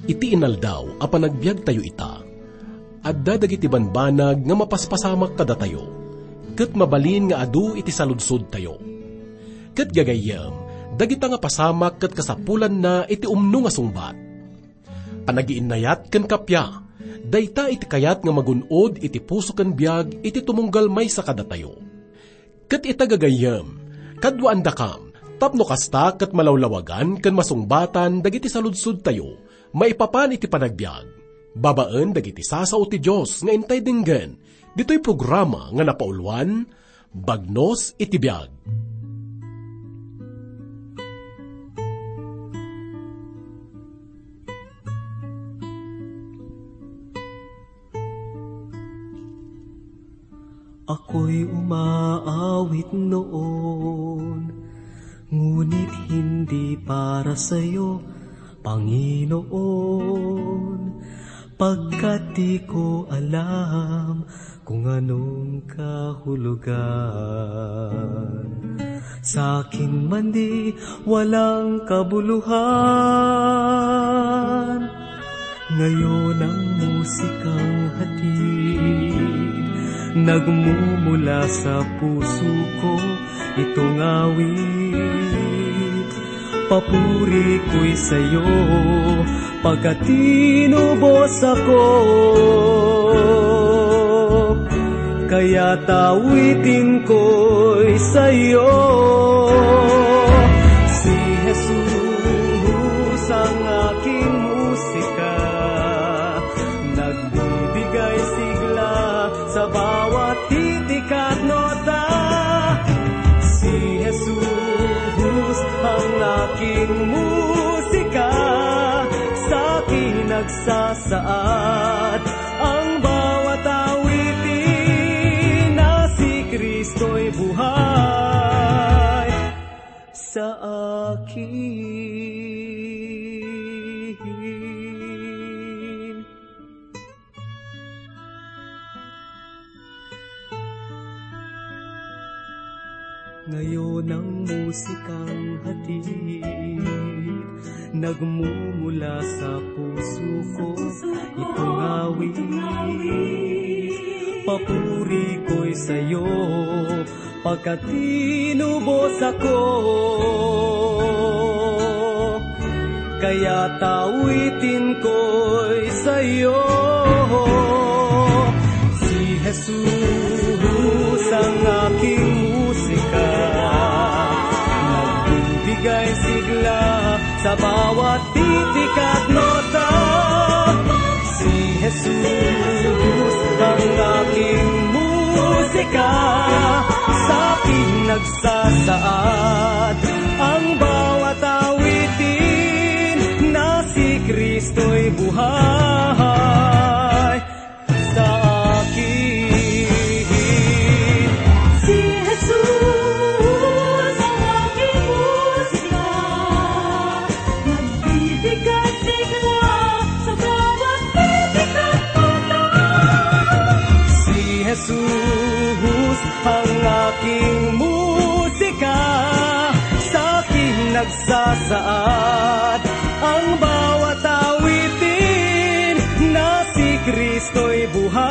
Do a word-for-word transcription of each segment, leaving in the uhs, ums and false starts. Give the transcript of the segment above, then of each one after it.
Iti inaldaw a panagbiagtayo ita, adda dagiti banbanag nga mapaspasamak kadatayo, ket mabalin nga adu iti saludsodtayo. Ket gagayyem, dagita nga pasamak ket kasapulanna iti umno nga sungbat. Panagiinnayat ken kappia, dayta iti kayat nga magun-od iti puso ken biag iti tumunggal maysa kadatayo. Ket ita gagayyem, kaduaandakam, tapno kasta ket malawlawagan ken masungbatan dagiti saludsodtayo maipapan iti panagbiag, babaen dagiti sasao ti Dios nga intay denggen ditoy programa nga napauluan, Bagnos iti Biag. Ako'y umaawit noon, ngunit hindi para sa'yo, Panginoon, pagkat di ko alam kung anong kahulugan. Sa akin man di walang kabuluhan. Ngayon ang musikang hatid, nagmumula sa puso ko itong awit. Papuri ko'y sa'yo, pagkat tinubos ako. Kaya tawitin ko'y sa'yo. Si Jesus ang aking musika, nagbibigay sigla sa bawat titik at nota. Si Jesus ang aking musika, sa akin nagsasaad ang bawat awitin na si Kristo'y buhay sa akin. Ngayon ang musikang hatid, nagmumula sa puso ko itong awit. Papuri ko'y sa'yo, pagkat tinubos ako. Kaya tawitin ko'y sa'yo. Si Jesus ang aking musika, nagbibigay sigla sa bawat titik at nota. Si Jesus ang aking musika, sa akin nagsasaad ang bawat awitin na si Kristo'y buhay sa akin. Si Jesus ang aking musika, nagbibigay sigla sa bawat titik at nota. Si Jesus ang aking musika, sa akin nagsasaad ang bawat awitin na si Kristo'y buhay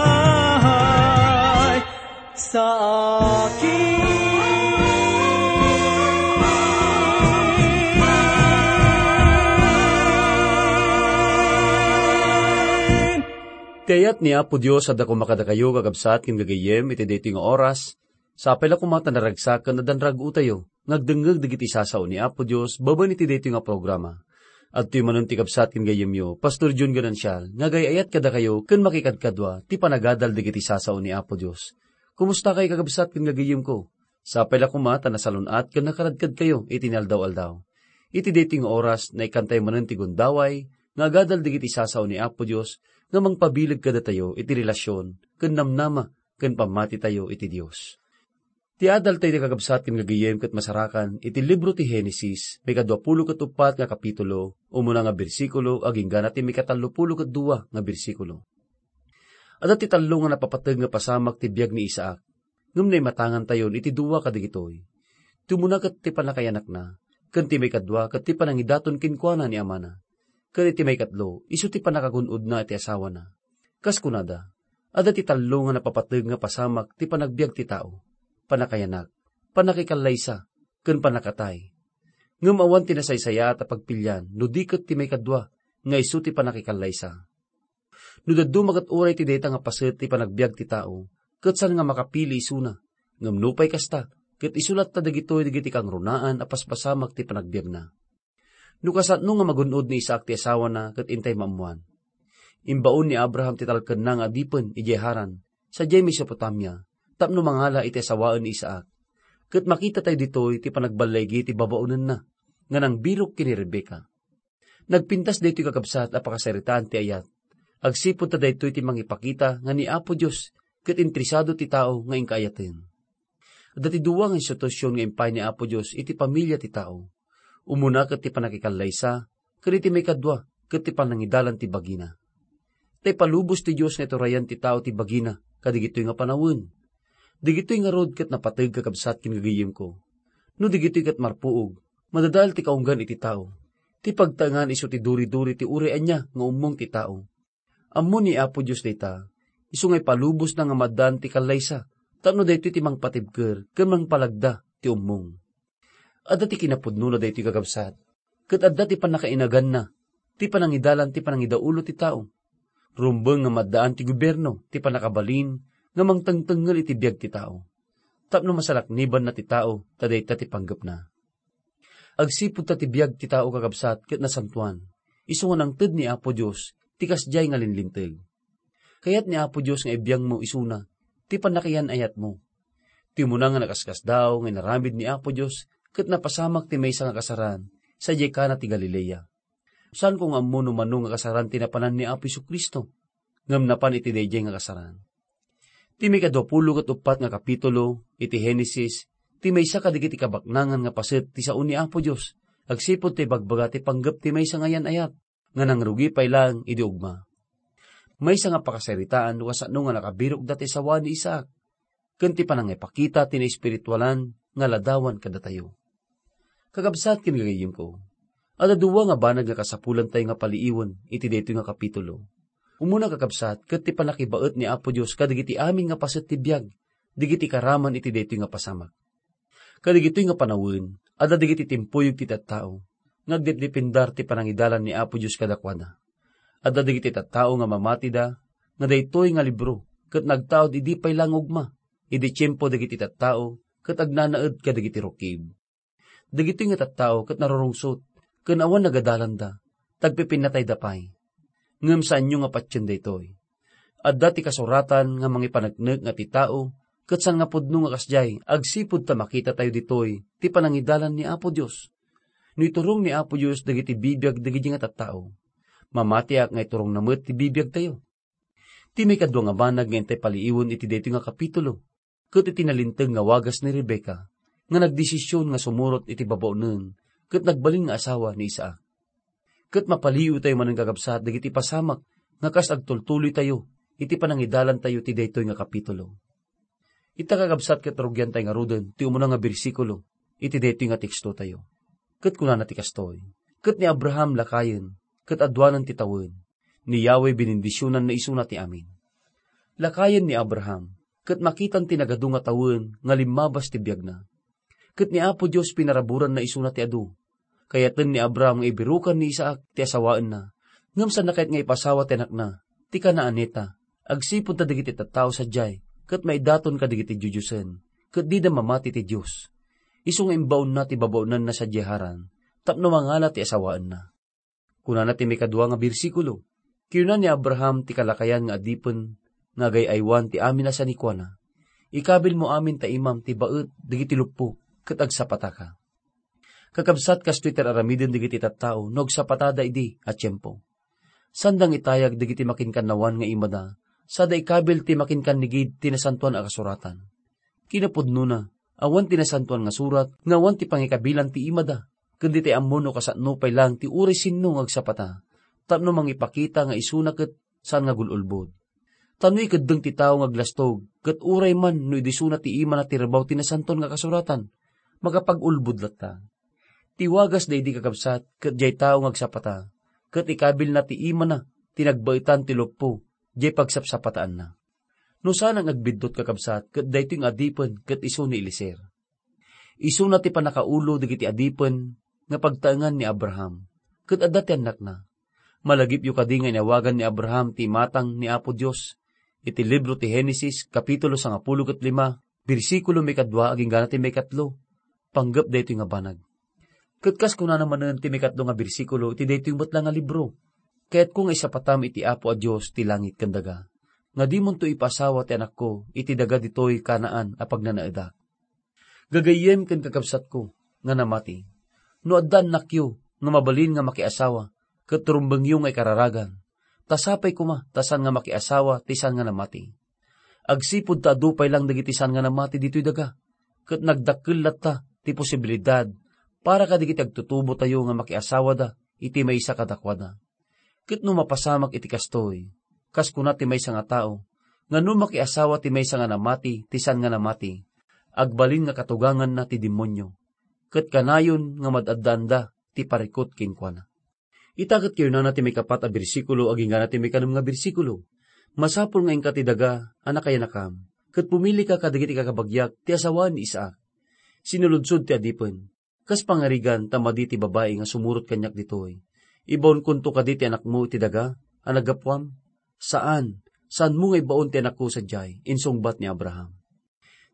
sa akin. Ti ayat ni Apo Dios adda koma kadakayo, kakabsat ken gagayyem, iti daytoy nga oras. Sapay la koma ta naragsak ken adda naragragtayo nga agdengngeg dagiti sasao ni Apo Dios babaen iti daytoy nga programa. Adtoy manen ti kabsat ken gayyemyo, Pastor John Ganancial, nga agay-ayat kadakayo ken makikadkadua ti panagadal dagiti sasao ni Apo Dios. Kumusta kay, kakabsat ken gagayyemko? Sapay la koma ta nasalun-at ken nakaradkadkayo iti inaldaw-aldaw. Iti daytoy nga oras, naikkantayo manen ti gundaway nga agadal dagiti sasao ni Apo Dios nga mangpabileg kadatayo iti relasion ken namnama ken pammatitayo iti Dios. Ti adaltayo, kakabsat ken gagayyem, ket masarakan iti libro ti Genesis, maikadua pulo ket uppat nga kapitulo, umuna nga bersikulo, agingga na ti maikatallo pulo ket dua nga bersikulo. Adda ti tallo nga napapateg nga pasamak ti biag ni Isaac, ngem naimatangantayon iti dua kadagitoy. Ti umuna ket ti pannakayanakna, ken ti maikadua ket ti panangidaton kenkuana ni amana. Ket iti maikatlo, isu ti pannakagun-odna iti asawana. Kas kunada, adda ti tallo nga napapateg nga pasamak ti panagbiag ti tao: pannakayanak, pannakikallaysa, ken pannakatay. Ngem awan ti nasaysayaat a pagpilian no di ket ti maikadua nga isu ti pannakikallaysa. No dadduma ket uray ti dayta nga paset ti panagbiag ti tao, ket saan nga makapili isuna, ngem nupay kasta, ket isu latta dagitoy dagiti kangrunaan a paspasamak ti panagbiagna. No kasano nga magun-od ni Isaac ti asawana ket intay maammoan. Imbaon ni Abraham ti talkenna nga adipen idiay Haran, sadiay Mesopotamia, tapno mangala iti asawaen ni Isaac. Ket makitatayo ditoy ti panagballaigi ti babaonenna nga nangbirok ken ni Rebecca. Nagpintas daytoy, kakabsat, a pakasaritaan ti ayat, agsipud ta daytoy ti mangipakita nga ni Apo Dios ket interesado ti tao nga inkaayaten. Adda ti dua nga institusion nga impay ni Apo Dios iti pamilia ti tao. Umuna ket ti pannakikallaysa, ken iti maikadua ket ti panangidalan ti bagina. Ta ipalubos ti Dios nga iturayan ti tao ti bagina kadagitoy nga panawen. Dagitoy ngarud ket napateg, kakabsat ken gagayyemko. No dagitoy ket marpuog, madadael ti kaunggan iti tao. Ti pagtaengan isu ti duri-duri ti uray ania nga ummong ti tao. Ammo ni Apo Dios dayta, isu nga ipalubosna nga maaddaan ti kallaysa, tapno daytoy ti mangpatibker ken mangpalagda ti ummong. Adda ti kinapudnona daytoy, kakabsat, ket adda ti pannakainaganna, ti panangidalan ti panangidaulo ti tao. Rumbeng nga maaddaan ti gobierno ti pannakabalin nga mangtengtengngel iti biag ti tao, tapno masalaknibanna ti tao ta dayta ti panggepna. Agsipud ta ti biag ti tao, kakabsat, ket nasantoan, isu nga nangted ni Apo Dios ti kasdiay nga linlinteg. Kayat ni Apo Dios nga ibiangmo isuna ti pannakayan-ayatmo. Ti umuna nga nakaskasdaaw nga inaramid ni Apo Dios ket napasamak ti maysa nga kasaran sadiay Cana ti Galilea. Saanko nga ammo no mano nga kasaran ti napanan ni Apo Jesu-Cristo, ngem napan iti daydiay nga kasaran. Ti maikadua pulo ket uppat nga kapitulo iti Genesis ti maysa kadagiti kabaknangan nga paset ti sao ni Apo Dios agsipud ta ibagbaga ti panggep ti maysa nga yan-ayat nga nangrugi pay laeng idi ugma. Maysa nga pakasaritaan no kasano nga nakabirokda ti asawa ni Isaac, ken ti panangipakita ti naespiritualan nga ladawan kadatayo. Kakabsat ken gagayyemko, adda dua nga banag nga kasapulantayo nga paliiwen iti daytoy nga kapitulo. Umuna, kakabsat, ket ti pannakibaet ni Apo Dios kadagiti amin nga paset ti biag dagiti karaman iti daytoy nga pasamak. Kadagitoy nga panawen, adda dagiti timpuyog ti tattao nga agdepdependar ti panangidalan ni Apo Dios kadakuada. Adda dagiti tattao nga mamatida nga daytoy nga libro ket nagtaud idi pay laeng ugma, idi tiempo dagiti tattao ket agnanaed kadagiti rukib. Dagitoy nga tattao ket narurungsot ken awan nagadalanda, tagpipinnatayda pay. Ngem saanyo nga patien daytoy. Adda ti kasuratan nga mangipaneknek nga ti tao ket saan nga pudno nga kasdiay agsipud ta makitatayo ditoy ti panangidalan ni Apo Dios. No iturong ni Apo Dios dagiti bibiag dagiti nga tattao, mamatiak nga iturongna met ti bibiagtayo. Ti maikadua nga banag nga intay paliiwen iti daytoy nga kapitulo, ket iti nalinteg nga wagas ni Rebecca nga nagdesision nga sumurot iti babaonen ket nagbalin nga asawa ni Isaac. Ket mapaliiwtayo manen, kakabsat, dagiti pasamak nga kas agtultuloytayo iti panangidalantayo ti daytoy nga kapitulo. Ita, kakabsat, ket rugiantay ngaruden ti umuna nga bersikulo iti daytoy nga tekstotayo. Ket kunana ti kastoy, "Ket ni Abraham lakayen, ket aduanan ti tawen, ni Yahweh binendisionanna isuna ti amin." Lakayen ni Abraham, ket makitan ti nagadu nga tawen nga limmabas ti biagna. Ket ni Apo Dios pinaraburanna isuna ti adu. Kayaten ni Abraham nga ibirukan ni Isaac ti asawaenna, ngem saanna kayat nga ipasawa ti anakna, ti Canaanita, agsipud ta dagiti tattao sadiay ket maidaton kadagiti diodiosen, ket dida mamati ti Dios. Isu nga imbaonna ti babaonanna sadiay Haran tapno mangala ti asawaenna. Kunana ti maikadua nga bersikulo, "Kinuna ni Abraham ti kalakayan nga adipen nga agay-aywan ti amin a sanikuana, 'Ikabilmo amin ta imam ti baet dagiti luppo ket agsapataka.'" Kakabsat, kastoy ti ar-aramiden dagiti tattao no agsapatada idi a tiempo. Saanda nga itayag dagiti makinkannawan nga imada, sada ikabil ti makinkannigid ti Nasantoan a Kasuratan. Kinapudnona, awan ti Nasantoan nga Surat nga awan ti pangikabilan ti imada, ken ditay ammo no kasano pay laeng ti uray sinno nga agsapata, tapno mangipakita nga isuna ket saan nga gul-ulbod. Ta no ikeddeng ti tao nga aglastog, ket uray man no idisuna ti imana ti rabaw ti Nasantoan nga Kasuratan, makapag-ulbod latta. Ti wagas daydi, kakabsat, ket diay tao nga agsapata, ket ikabilna ti imana ti nagbaetan ti luppo diay pagsapsapataenna. No saan nga agbiddut, kakabsat, ket daytoy nga adipen ket isu ni Eliezer. Isuna ti pannakaulo dagiti adipen nga pagtaengan ni Abraham, ket adda ti annakna. Malagipyo kadi nga inawagan ni Abraham ti imatang ni Apo Dios iti libro ti Genesis, kapitulo sangapulo ket lima, bersikulo maikadua agingga ti maikatlo, panggep daytoy nga banag. Ket kas kunana manen ti maikatlo nga bersikulo iti daytoy met la nga libro, "Kayatko nga isapatam iti Apo a Dios ti langit ken daga, nga dimonto ipaasawa ti anakko iti daga ditoy Canaan a pagnanaedak." Gagayyem ken kakabsatko nga namati, no adda annakyo nga mabalin nga makiasawa ket rumbengyo nga ikararagan, ta sapay koma ta saan nga makiasawa ti saan nga namati. Agsipud ta adu pay lang dagiti saan nga namati ditoy daga, ket nagdakkel latta ti posibilidad para kadagiti agtutubotayo nga makiasawada iti maysa kadakuada. Ket no mapasamak iti kastoy, kas kuna ti maysa nga tao, nga no makiasawa ti maysa nga namati ti saan nga namati, agbalin nga katuganganna ti demonio, ket kanayon nga mad-addaanda ti parikut kenkuana. Ita ket kayunana ti maikapat a bersikulo agingga ti maikanem nga bersikulo, "Masapul nga inka ti daga a nakayanakam, ket pumilika kadagiti kakabagiak ti asawaan ni Isaac." Sinulodsod ti adipen, "Kas pangarigan ta madi ti babai nga sumurot kaniak ditoy, ibaonkonto kadi ti anakmo iti daga a naggapuam?" "Saan, saanmo nga ibaon ti anakko sadiay," insungbat ni Abraham.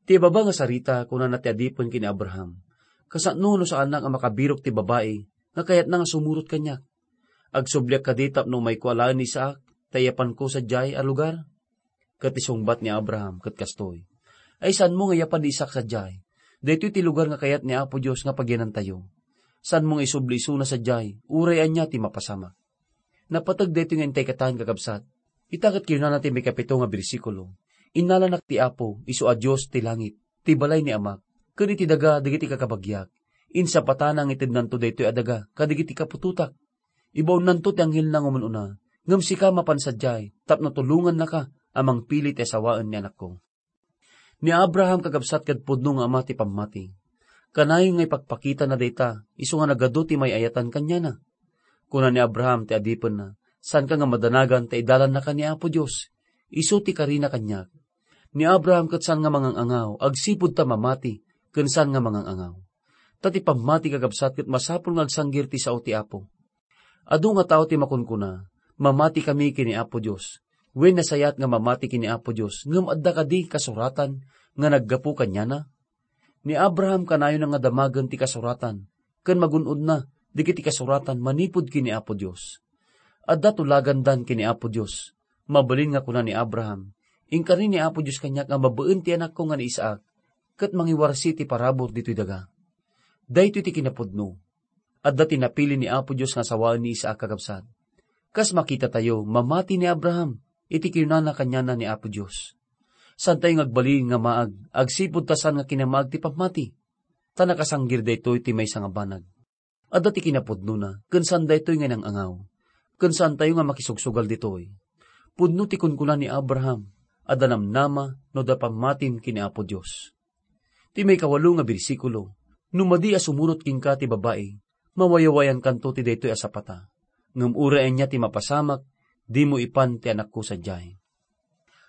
Ti ibaba nga sarita, kunana ti adipen ken ni Abraham, "Kasano no saanak a makabirok ti babai nga kayatna nga sumurot kaniak? Agsubliak kadi tapno umayko alaen ni Isaac, ta iyapanko sadiay a lugar?" Ket isungbat ni Abraham ket kastoy, "Ay, saanmo nga iyapan ni Isaac sadiay? Daytoy ti lugar nga kayat ni Apo Dios nga pagyanantayo. Saanmo nga isubli isuna sadiay, uray ania ti mapasamak." Napateg daytoy nga intay katan, kakabsat. Ita ket kinunana ti maikapito nga bersikulo, "Innalanak ti Apo, isu a Dios ti langit, ti balay ni Amak, ken iti daga dagiti kakabagiak. Insapatana nga itednanto daytoy a daga kadagiti kaputotak. Ibaonnanto ti anghelna nga umun-una, ngem sika mapan sadiay tapno tulongannaka a mangpili ti asawaen ni anakko." Ni Abraham, kakabsat, ket pudno nga ama ti pammati. Kanayon nga ipakpakitana dayta isu nga nagadu ti may-ayatan kaniana. Kuna ni Abraham ti adipenna, "Saanka nga madanagan ta idalannaka ni Apo Dios. Isu ti karina kaniak." Ni Abraham ket saan nga mangang-angaw agsipud ta mamati ken saan nga mangang-angaw. Ta ti pammati, kakabsat, ket masapul nga agsanggir ti sao ti Apo. Adu nga tao ti makunkuna, "Mamatikami ken ni Apo Dios." Wen, nasayaat nga mamati ken ni Apo Dios, ngem adda kadi kasuratan nga naggapu kaniana? Ni Abraham kanayon nga damagen ti kasuratan ken magun-odna dagiti kasuratan manipud ken ni Apo Dios. Adda tulagandan ken ni Apo Dios. Mabalin nga kuna ni Abraham, "Inkari ni Apo Dios kaniak nga babaen ti anakko nga ni Isaac, ket mangiwarsi ti parabur ditoy daga." Daytoy ti kinapudno. Adda ti napili ni Apo Dios nga sawaen ni Isaac, kakabsat. Kas makitatayo, mamati ni Abraham iti kinunana kaniana ni Apo Dios. Saantayo nga agbalin nga maag agsipud ta saan nga kinamaag ti pammati, ta nakasanggir daytoy ti maysa nga banag. Adda ti kinapudnona, ken saan daytoy nga nang-angaw, ken saantayo nga makisugsugal ditoy. Pudno ti kunkuna ni Abraham, "Adda namnama no adda pammatim ken ni Apo Dios." Ti maikawalo nga bersikulo, "No madi a sumurot kenka ti babai, mawayawayankanto ti daytoy a sapata. Ngem uray ania ti mapasamak, dimo ipan ti anakko sadiay."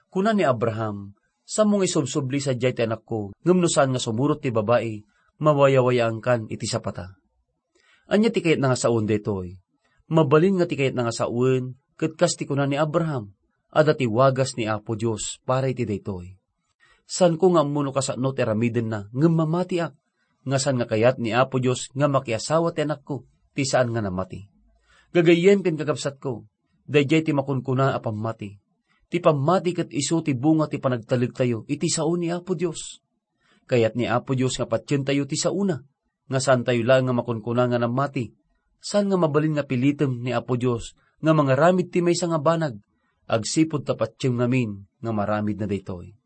Kuna ni Abraham, "Saanmo nga isubsubli sadiay ti anakko, ngem no saan nga sumurot ti babai, mawayawayaankan iti sapata." Ania ti kayatna nga sawen daytoy? Mabalin nga ti kayatna nga sawen, ket kas ti kuna ni Abraham, adda ti wagas ni Apo Dios para iti daytoy. Saanko nga ammo no kasano ti aramidenna, ngem mamatiak, nga saan nga kayat ni Apo Dios nga makiasawa ti anakko, ti saan nga namati. Gagayyem ken kakabsatko, daydiay ti makunkuna a pammati. Ti pammati ket isu ti bunga ti panagtalektayo iti sao ni Apo Dios. Kayat ni Apo Dios nga patientayo ti saona, nga saantayo laeng nga makunkuna nga namati. Saan nga mabalin nga pilitem ni Apo Dios nga mangaramid ti maysa nga banag, agsipud ta patiem ngamin nga maramidna daytoy.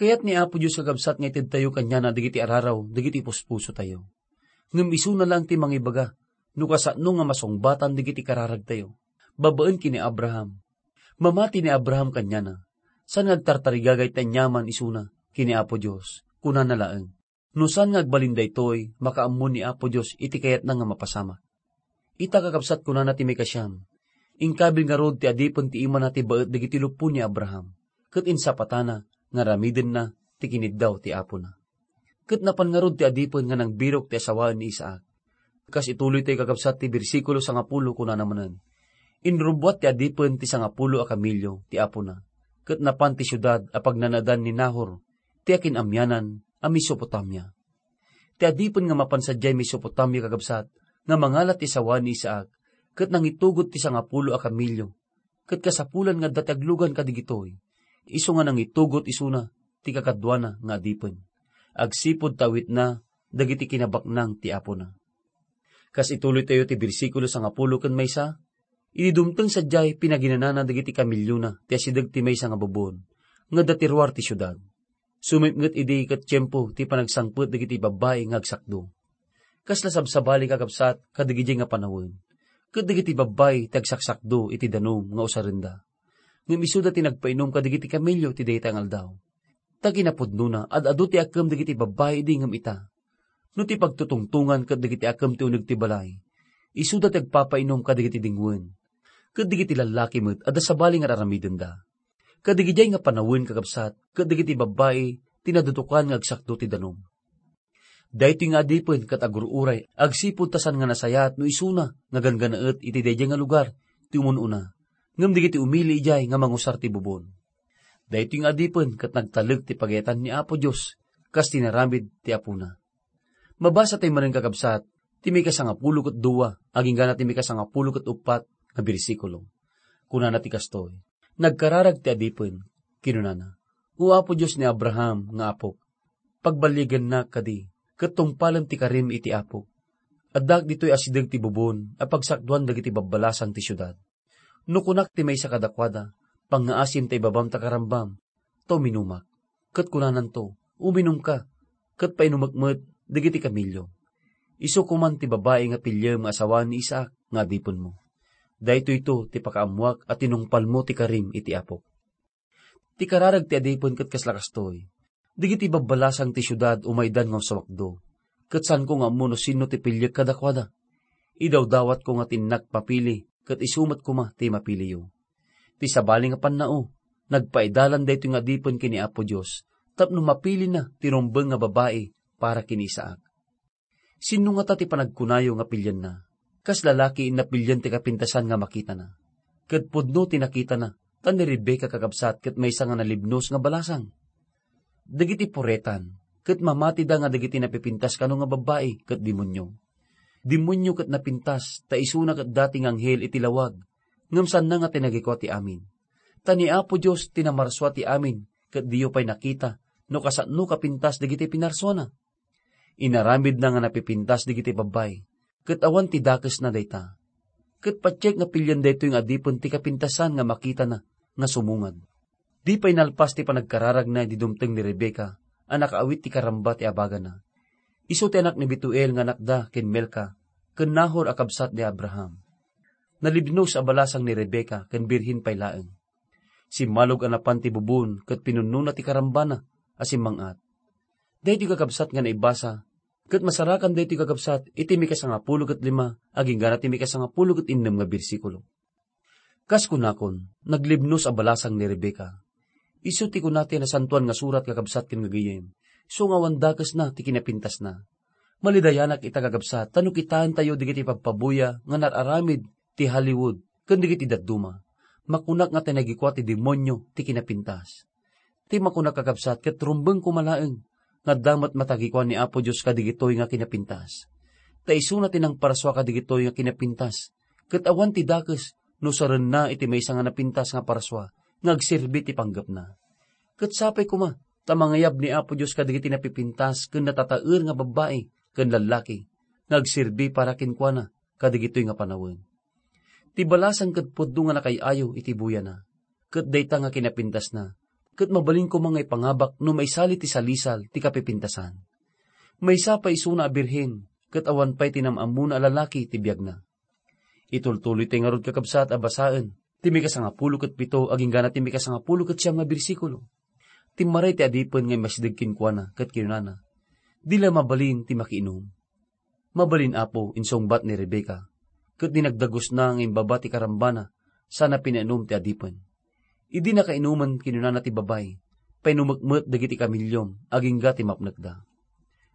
Kayat ni Apo Dios, kakabsat, nga itedtayo kaniana dagiti araraw dagiti puspusotayo. Ngem isuna laeng ti mangibaga no kasano nga masungbatan dagiti kararagtayo. Babaen ken ni Abraham, mamati ni Abraham kaniana. Saan nga agtartarigagay ti aniaman isuna ken ni Apo Dios. Kunana laeng, "No saan nga agbalin daytoy, makaammo ni Apo Dios iti kayatna nga mapasamak." Ita, kakabsat, kunana ti maikasiam, Inkabil ngarud ti adipen ti imana ti baet dagiti luppo ni Abraham, ket insapatana nga aramidenna ti kiniddaw ti apona. Ket napan ngarud ti adipen nga nangbirok ti asawaen ni Isaac. Kas ituloytayo, kakabsat, ti bersikulo sangapulo, kunana manen, "Inrubbuat ti adipen ti sangapulo a kamilio ti apona, ket napan ti siudad a pagnanaedan ni Nahor ti akin-amianan a Mesopotamia." Ti adipen nga mapan sadiay Mesopotamia, kakabsat, nga mangala ti asawaen ni Isaac, ket nangitugot ti sangapulo a kamilio, ket kasapulan nga adda ti aglugan kadigitoy, isu nga nangitugot isuna ti kakaduana nga adipen, agsipud ta awitna dagiti kinabaknang ti apona. Kas ituloytayo ti bersikulo sangapulo ken maysa, idi dumteng sadiay, pinaginanana dagiti kamiliona ti asideg ti maysa nga bubon nga adda ti ruar ti siudad. Sumipnget idi ket tiempo ti panagsangpet dagiti babbai nga agsakdo. Kasla sabsabali, kakabsat, kadagidiay nga panawen, ket dagiti babbai ti agsaksakdo iti danum nga usarenda. Ngem isuda ti nagpainom kadagiti kamilio ti dayta nga aldaw. Ta kinapudnona, ad-adu ti akkem dagiti babbai idi ngem ita. No ti pagtutungtongan ket dagiti akkem ti uneg ti balay, isuda ti agpapainom kadagiti dingwen. Ket dagiti lallaki met adda sabali nga ar-aramidenda. Kadagidiay nga panawen, kakabsat, ket dagiti babbai ti nadudukan nga agsakdo ti danum. Daytoy nga adipen ket agur-uray agsipud ta saan nga nasayaat no isuna nga ganggannaet iti daydiay nga lugar ti umun-una, ngem dagiti umili idiay nga mangusar ti bubon. Daytoy nga adipen ket nagtalek ti pagayatan ni Apo Dios kas tinaramid ti apona. Mabasatayo manen, kakabsat, ti maikasangapulo ket dua agingga ti maikasangapulo ket uppat nga bersikulo. Kunana ti kastoy, "Nagkararag ti adipen, kinunana, 'O Apo Dios ni Abraham nga apok, pagballigennak kadi, ket tungpalem ti karim iti apok. Addaak ditoy asideg ti bubon a pagsakduan dagiti babbalasang ti siudad. No kunak ti maysa kadakuada, 'Pangngaasim ta ibabam ta karambam,' ta uminumak. Ket kunananto, 'Uminumka, ket painumek met dagiti kamilio. Isu koman ti babai nga piliem nga asawa ni Isaac nga adipenmo. Daytoyto ti pakaammoak a tinungpalmo ti karim iti apok.'" Ti kararag ti adipen ket kasla kastoy, dagiti babbalasang ti siudad umaydan nga uswakdo, ket saanko nga ammo no sinno ti piliek kadakuada. Idawdawatko nga ti innak mapili, ket isu met koma ti mapiliyo. Ti sabali nga pannao, nagpaidalan daytoy nga adipen ken ni Apo Dios tapno mapilina ti rumbeng nga babai para ken ni Isaac. Sinno ngata ti panagkunayo nga pilienna? Kas lalaki, napilien ti kapintasan nga makitana. Ket pudno ti nakitana, ta ni Rebecca, kakabsat, ket maysa nga nalibnos nga balasang. Dagiti puretan, ket mamatida nga dagiti napipintas kano nga babbai ket demonio. Demonio ket napintas, ta isuna ket dati nga anghel iti lawag, ngem saanna nga tinagikua ti amin. Ta ni Apo Dios ti namarsua ti amin, ket diyo pay nakita no kasano kapintas dagiti pinarsuana. Inaramidna nga napipintas dagiti babbai, ket awan ti dakesna dayta. Ket patiek nga pilien daytoy nga adipen ti kapintasan nga makitana nga sumungad. Di pay nalpas ti panagkararagna idi dumteng ni Rebecca a nakaawit ti karamba ti abagana. Isu ti anak ni Betuel nga anakda ken Milca, ken Nahor a kabsat ni Abraham. Nalibnos a balasang ni Rebecca ken birhen pay laeng. Simmalog a napan ti bubon ket pinunnona ti karambana a simmang-at. Daytoy kakabsat nga naibasa, ket masarakan daytoy kakabsat iti mikasangapulo ket lima agingga ti mikasangapulo ket innem nga bersikulo. Kas kunakon, naglibnos a balasang ni Rebecca. Isu ti kuna ti Nasantoan nga Surat, kakabsat ken gagayem, isu nga awan dakesna ti kinapintasna. Malidayanak ita, kakabsat, ta no kitaentayo dagiti pagpabuya nga nar-aramid ti Hollywood ken dagiti dadduma, makunak nga tinagikua ti demonio ti kinapintas. Ti makunak, kakabsat, ket rumbeng koma laeng nga adda met matagikua ni Apo Dios kadagitoy nga kinapintas. Ta isuna ti nangparsua kadagitoy nga kinapintas, ket awan ti dakes no sarenna iti maysa nga napintas nga parsua nga agserbi ti panggepna. Ket sapay koma ta mangayab ni Apo Dios kadagiti napipintas ken natataer nga babbai ken lallaki nga agserbi para kenkuana kadagitoy nga panawen. Ti balasang ket pudno nga nakay-ayo iti buyana, ket dayta nga kinapintasna, ket mabalin koma nga ipangabak no maisali ti salisal ti kapipintasan. Maysa pay isuna a birhen, ket awan pay ti nam-ammona a lalaki ti biagna. Itultuloy tay ngarud, kakabsat, a basaen ti mikasangapulo ket pito agingga ti mikasangapulo ket siam nga bersikulo. Timmaray ti adipen nga immasideg kenkuana ket kinunana, "Di la mabalin ti makiinum." "Mabalin, Apo," insungbat ni Rebecca, ket dinagdagusna nga imbaba ti karambana sana pinainum ti adipen. Idi nakainumen, kinunana ti babai, "Painumek met dagiti kamiliom agingga ti mapnekda."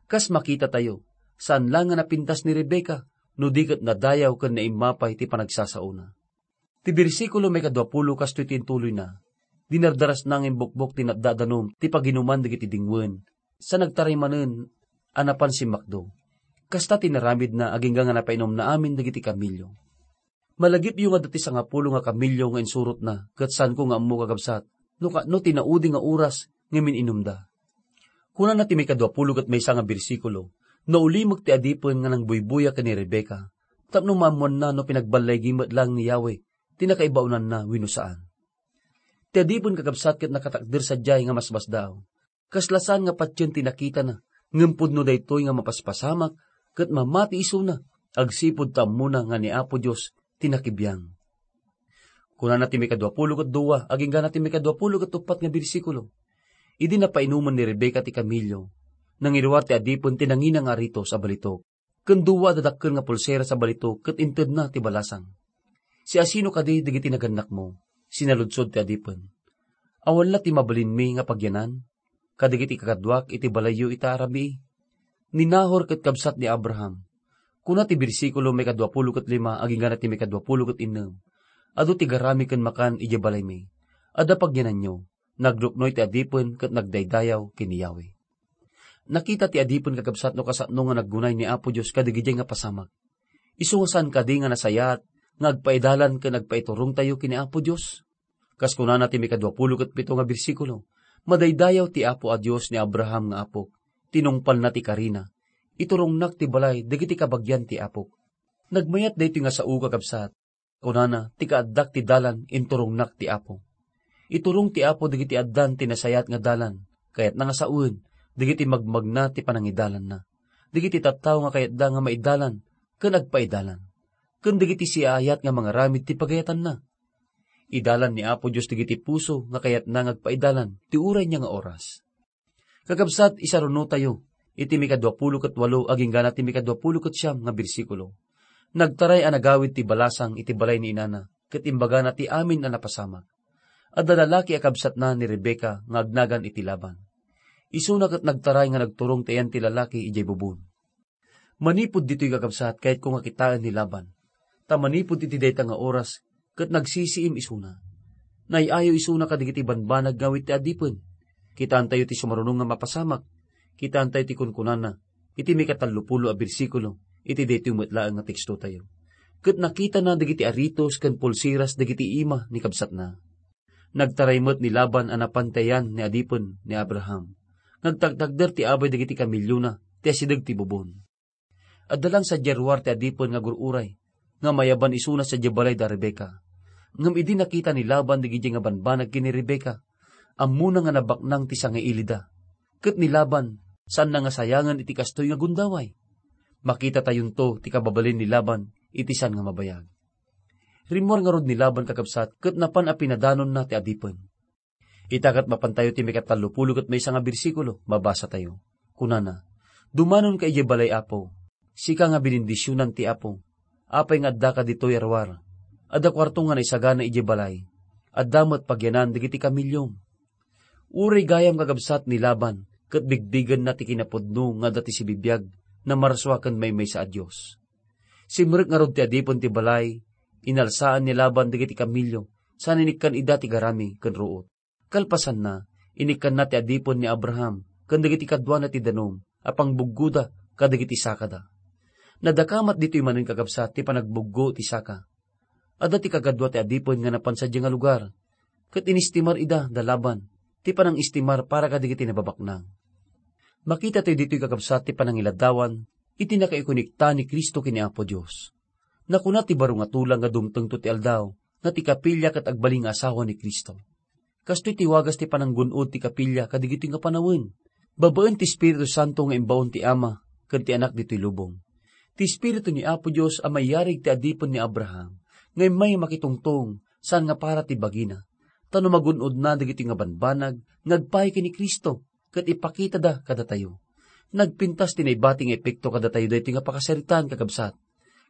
Kas makitatayo, saan la nga napintas ni Rebecca, no di ket nadayaw ken naimmapay ti panagsasaona. Ti bersikulo maikadua pulo kastoy ti intuloyna, "Dinardarasna nga imbukbok ti natdadanum ti paginuman dagiti dingwen, sa nagtaray manen a napan simmakdo. Kasta ti naramidna agingga nga napainumna amin dagiti kamilio." Malagipyo nga adda ti sangapulo nga kamilio nga insurotna, ket saanko nga ammo, kakabsat, no ka-, no ti naudi nga oras nga min-inumda. Kunana ti maikadua pulo ket maysa nga bersikulo, "Naulimek ti adipen nga nangbuybuya ken ni Rebecca, tapno maammoanna no pinagballigi met laeng ni Yahweh ti nakaibaonanna wenno saan." Ti adipen, kakabsat, ket nakatakder sadiay nga masmasdaaw. Kasla saan nga patien ti nakitana, ngem pudno daytoy nga mapaspasamak ket mamati isuna, agsipud ta ammona nga ni Apo Dios ti nakibiang. Kunana ti maikadua pulo ket dua agingga na ti maikadua pulo ket uppat nga bersikulo, "Idi napainuman ni Rebecca ti kamilio, nangiruar ti adipen ti nangina nga aritos a balitok, ken dua a dadakkel nga pulseras a balitok ket intedna ti balasang. 'Siasino kadi dagiti nagannakmo?' sinaludsod ti adipen. 'Awan la ti mabalinmi nga pagyanan kadagiti kakaduak iti balayyo ita a rabii?' Ni Nahor ket kabsat ni Abraham." Kuna ti bersikulo maikadua pulo ket lima agingga na ti maikadua pulo ket innem, "Adu ti garami ken makan idiay balaymi. Adda pagyananyo." Nagruknoy ti adipen ket nagdaydayaw ken ni Yahweh. Nakita ti adipen, kakabsat, no kasano nga naggunay ni Apo Dios kadagidiay nga pasamak. Isu nga saan kadi nga nasayaat nga agpaidalan ken agpaiturongtayo ken ni Apo Dios? Kas kunana ti maikadua pulo ket pito nga bersikulo, "Madaydayaw ti Apo a Dios ni Abraham nga apok, tinungpalna ti karina. Iturongnak ti balay dagiti kabagian ti apok." Nagmayat daytoy nga sao, kakabsat. Kunana, "Ti kaaddak ti dalan, inturongnak ti Apo." Iturong ti Apo dagiti addan ti nasayaat nga dalan, kayatna nga sawen dagiti magmagna ti panangidalanna, dagiti tattao nga kayatda nga maidalan ken agpaidalan, ken dagiti siaayat nga mangaramid ti pagayatanna. Idalan ni Apo Dios dagiti puso nga kayatna nga agpaidalan ti uray niya nga oras. Kakabsat, isarunotayo iti maikadua pulo ket walo agingga na ti maikadua pulo ket siam nga bersikulo. Nagtaray a nagawid ti balasang iti balay ni inana, ket imbagana ti amin a napasamak. Adda lalaki a kabsatna ni Rebecca nga agnagan iti Laban. Isuna ket nagtaray nga nagturong ti ayan ti lalaki idiay bubon. Manipud ditoy, kakabsat, kayatko nga kitaen ni Laban. Ta manipud iti dayta nga oras, ket nagsisiim isuna. Nay-ayo isuna kadagiti banbanag nga awit ti adipen. Kitaentayo ti sumaruno nga mapasamak. Kitaentayo ti kunkunana iti maikatallopulo a bersikulo iti daytoy met laeng nga tekstotayo. Ket nakitana dagiti aritos ken pulseras dagiti ima ni kabsatna. Nagtaray met ni Laban a napan ti ayan ni adipen ni Abraham. Nagtagtagder ti abay dagiti kamiliona ti asideg ti bubon. Adda lang sadiay ruar ti adipen nga agur-uray, nga mayaban isuna sadiay balay da Rebecca. Ngem idi nakita ni Laban dagiti nga banbanag ken ni Rebecca, ammona nga nabaknang ti sangailida. Ket ni Laban, saanna nga sayangen iti kastoy nga gundaway. Makitatayonto ti kababalin ni Laban iti saan nga mabayag. Rimmuar ngarud ni Laban, kakabsat, ket napan a pinadanonna ti adipen. Ita ket mapantayo ti maikatallopulo ket maysa nga bersikulo, mabasatayo. Kunana, "Dumanonka idiay balay, Apo. Sika nga binindisionan ti Apo. Apay nga addaka ditoy a ruar? Adda kuarto nga naisagana idiay balay. Adda met pagyanan dagiti kamiliom." Uray gayam, kakabsat, ni Laban, ket bigbigenna ti kinapudno nga adda ti sibibiag, namarsua ken maymaysa a Dios. Simrek ngarud ti adipen ti balay, inalsaan ni Laban dagiti kamilio, saan inikkan ida ti garami ken ruot. Kalpasanna, inikkanna ti adipen ni Abraham ken dagiti kaduana ti danum a pangbuggoda kadagiti sakada. Nadakamat ditoy manen, kakabsat, ti panagbuggo ti saka. Adda ti kagadua ti adipen nga napan sadiay nga lugar, ket inistimar ida da Laban ti panangistimar para kadagiti nababaknang. Makitatayo ditoy, kakabsat, ti panangiladawan iti nakaikonikta ni Cristo ken ni Apo Dios. Nakuna ti baro nga tulang nga dumtengto ti aldaw nga ti kapilya ket agbalin nga asawa ni Cristo. Kastoy ti wagas ti pananggun-od ti kapilya kadagitoy nga panawen, babaen ti Espiritu Santo nga imbaon ti Ama ken ti Anak ditoy lubong. Ti Espiritu ni Apo Dios a mayarig ti adipen ni Abraham nga immay makitungtong saan nga para ti bagina, ta no magun-odna dagitoy nga banbanag nga agpaay ken ni Cristo ket ipakitada kadatayo. Nagpintas ti naibati nga epekto kadatayo daytoy nga pakasaritaan, kakabsat.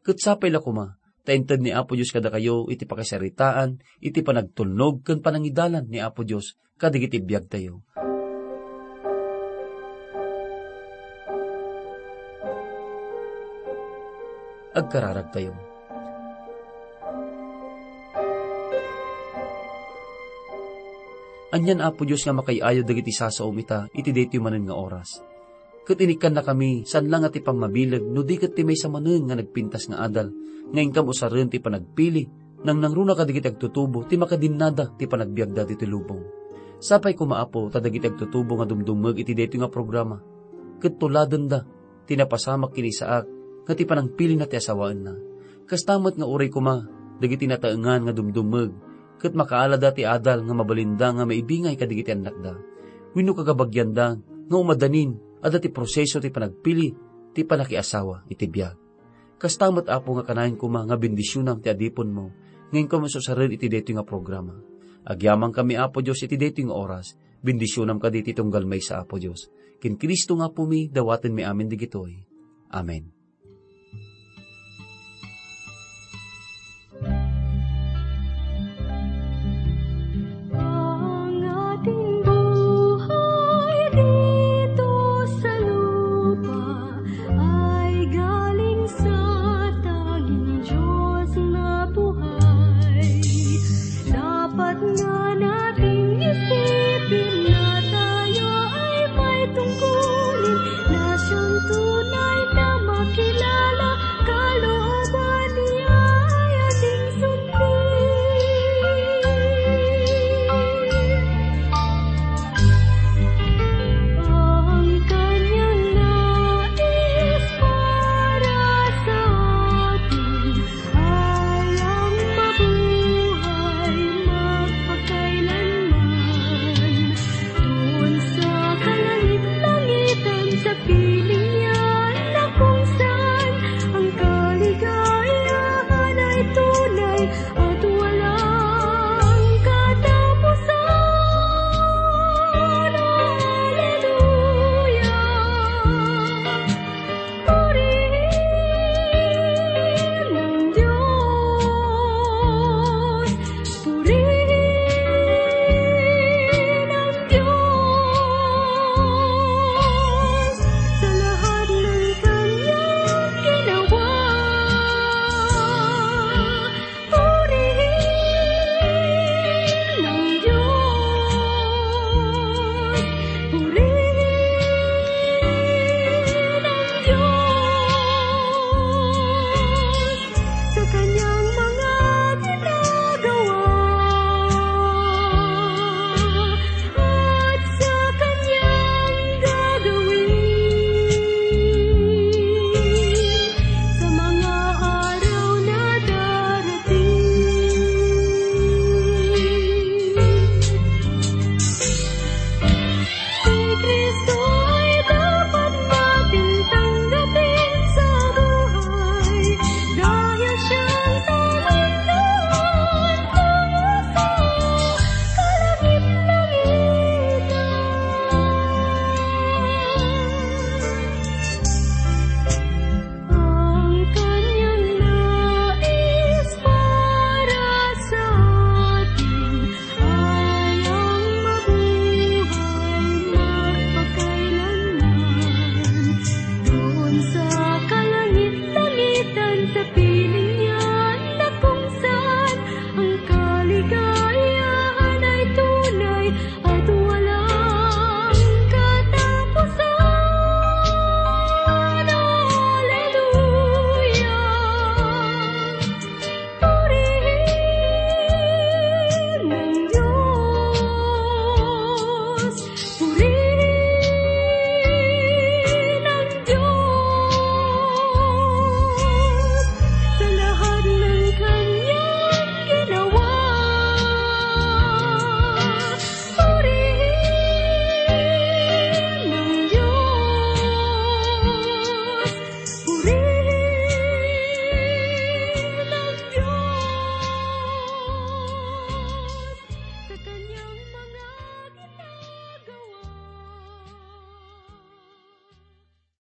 Ket sapay la koma, ta inted ni Apo Dios kadakayo iti pakasaritaan, iti panagtulnog ken panangidalan ni Apo Dios kadagiti biagtayo. Agkararagtayo. Anian, Apo Dios, nga makaay-ayo dagiti sasaom ita iti daytoy manen nga oras. Ket inikkannakami, saan la nga ti pammabileg, no di ket ti maysa manen nga nagpintas nga adal, nga inkam usaren ti panagpili, nangnangruna kadagiti agtutubo, ti makadinnada ti panagbiagda ditoy lubong. Sapay koma, Apo, ta dagiti agtutubo nga dumdumeg iti daytoy nga programa, ket tuladenda ti napasamak ken ni Isaac nga ti panangpilina ti asawaenna. Kasta met nga uray koma dagiti nataengan nga dumdumeg, ket makaalada ti adal nga mabalinda nga maibingay kadagiti annakda, wenno kagabagianda nga umadanin adda ti proseso ti panagpili ti panakiasawa iti biag. Kasta met, Apo, nga kanayon koma nga bendisionam ti adipenmo nga inkam usaren iti daytoy nga programa. Agyamankami, Apo Dios, iti daytoy nga oras. Bendisionam kadi ti tunggal maysa, Apo Dios. Ken Cristo nga Apomi, dawatenmi amin dagitoy. Amen.